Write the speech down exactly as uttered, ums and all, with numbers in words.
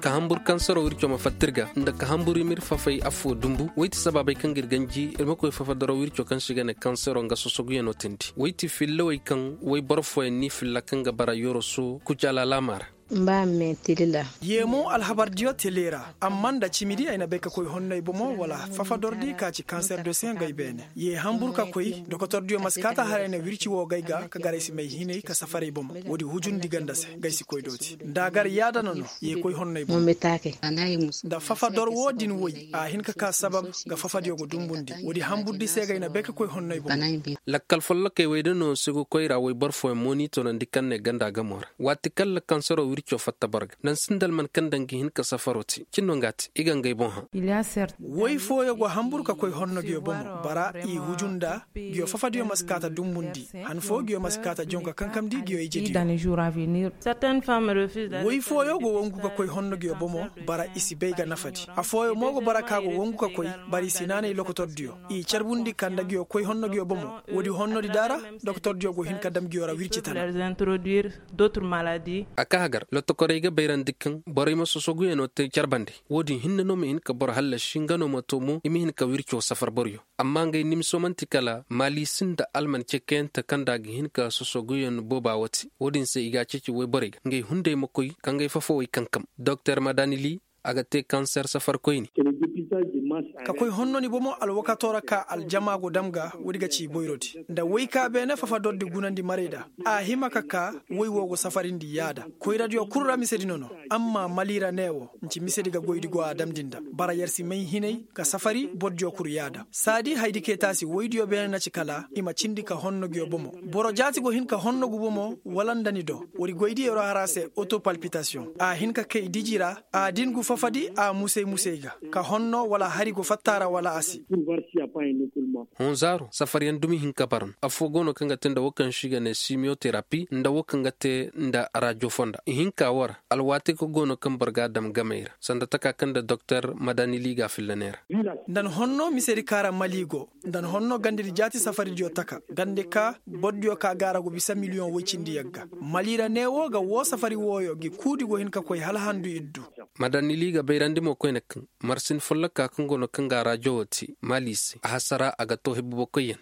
Ka hambur kansaro wirco ma fatta ir ga nda ka hambur i ma ir fafay affoo dumbu woy ti sabaabey kaŋ ga ir ganji ir ma koy fafadaro wirco kaŋ se i ga ne kansaro nga sosoguyanoo teendi woy ti fillawey kaŋ woy boro fooyaŋ n'i filla kaŋ ga bara yoroso kucalaalaama ra. Yeemo alhabardiyo tele ra amma nda cimidi ay na bay ka koy honno ay bomo wala fafadordi ka ci kanser do se nga ay beene. Ye hambur ka koy dokotordiyo ma si kaata haray na wirci woo ga ay ga ka gar ay si may hinay ka safar ay bomo. Woodi hujundi ganda se nga ay si koy dooti nda a gar yaada no no. Ye koy honno ay bomo. Nda fafador woo din woy a hin ka ka sabab ga fafadiyo ga dumbundi woodi hamburdi se ga ay na bay ka koy honno ay bomo. Lakkal follokey wey da no se ga koy ra woy boro fooyaŋ mo n'i toonandi kaŋ ne ganda gamo ra waati kaŋ la kansaro wirco fatta boro ga naŋ sinda alman kaŋ daŋ ga hin ka safaro te cin no nga a te i ga ngey boŋ hã. Woy fooyo go hambur ka koy honno nguyo bomo bara i huju nda nguyo fafadiyo ma si kaata dumbundi han foo nguyo ma si kaata jonka kankamndi nguyo ijediyo. Woy fooyo go wangu ka koy honno nguyo bomo bara i si bay ga nafadi. Afooyo mo go bara ka go wangu ka koy bara i si naanay lokotordiyo i carbundi kanda nguyo koy honno nguyo bomo. Woodi honnodi daara dokotordiyo go hin ka dam nguyo ra wirci tana. A kaa hagar lotokorey ga bayrandi kaŋ borey ma sosoguyanoo te care bande. Woodin hinne no ma hin ka boro hallasi nga no ma too mo i ma hin ka wirco safar boroyo. Amma ngey nimso man'ti kala maali sinda alman cekeyante kaŋ nda a ga hin ka sosoguyan booba woo te. Woodin se i ga a ceeci woyborey ga ngey hunday ma koy ka ngey fafawey kankam. Doktor madanili a ga te kanser safarkoyni. Ka koy honno ni bomo alwakato ra ka aljama go dam ga woodi ga ci boyrodi nda woy ka beene fafadordi gunandi marayda. A hima ka ka woy woo go safarindi yaada koyradiyo kul ra misedi no no. Amma mali ra ne woo nci misedi ga goydi go a damndi nda bara yer si may hinay ka safari bordiyo kul yaada saadi haydi kay taasi woydiyo beene na ci kala i ma cindi ka honno nguyo bomo. Boro jaati go hin ka honno gu bomo wala nda ni do woodi goydiyo ra har a se otopalpitasiyoŋ a hin ka kay diji ra. A din gu fafadi a musay musay ga ka honno wala hari go fatta ra wala a si. Honzaaro safaryaŋ dumi hin ka bara no affoo go no kaŋ ga te nda woo kaŋ se i ga ne simiyoterapi nda woo kaŋ ga te nda rajo fonda ihinka woo ra. Alwaati kaŋ go no kaŋ boro ga a dam gamey ra sanda taka kaŋ nda doktor madanili ga a filla ne ra. Nda ni honno misedi kaara mali go nda ni honno gandedi jaati safaridiyo taka gande ka bordiyo ka gaara go bisa miliyoŋ woy cindi yagga. Mali ra ne woo ga woo safari wooyo ngi kuudi go hin ka koy hala handu iddu. Madanili ga bayrandi mo koyne kaŋ marsin folloka kaŋ go no kaŋ ga a rajo woo te maali se a hasara a ga too hebubokoyyaŋ.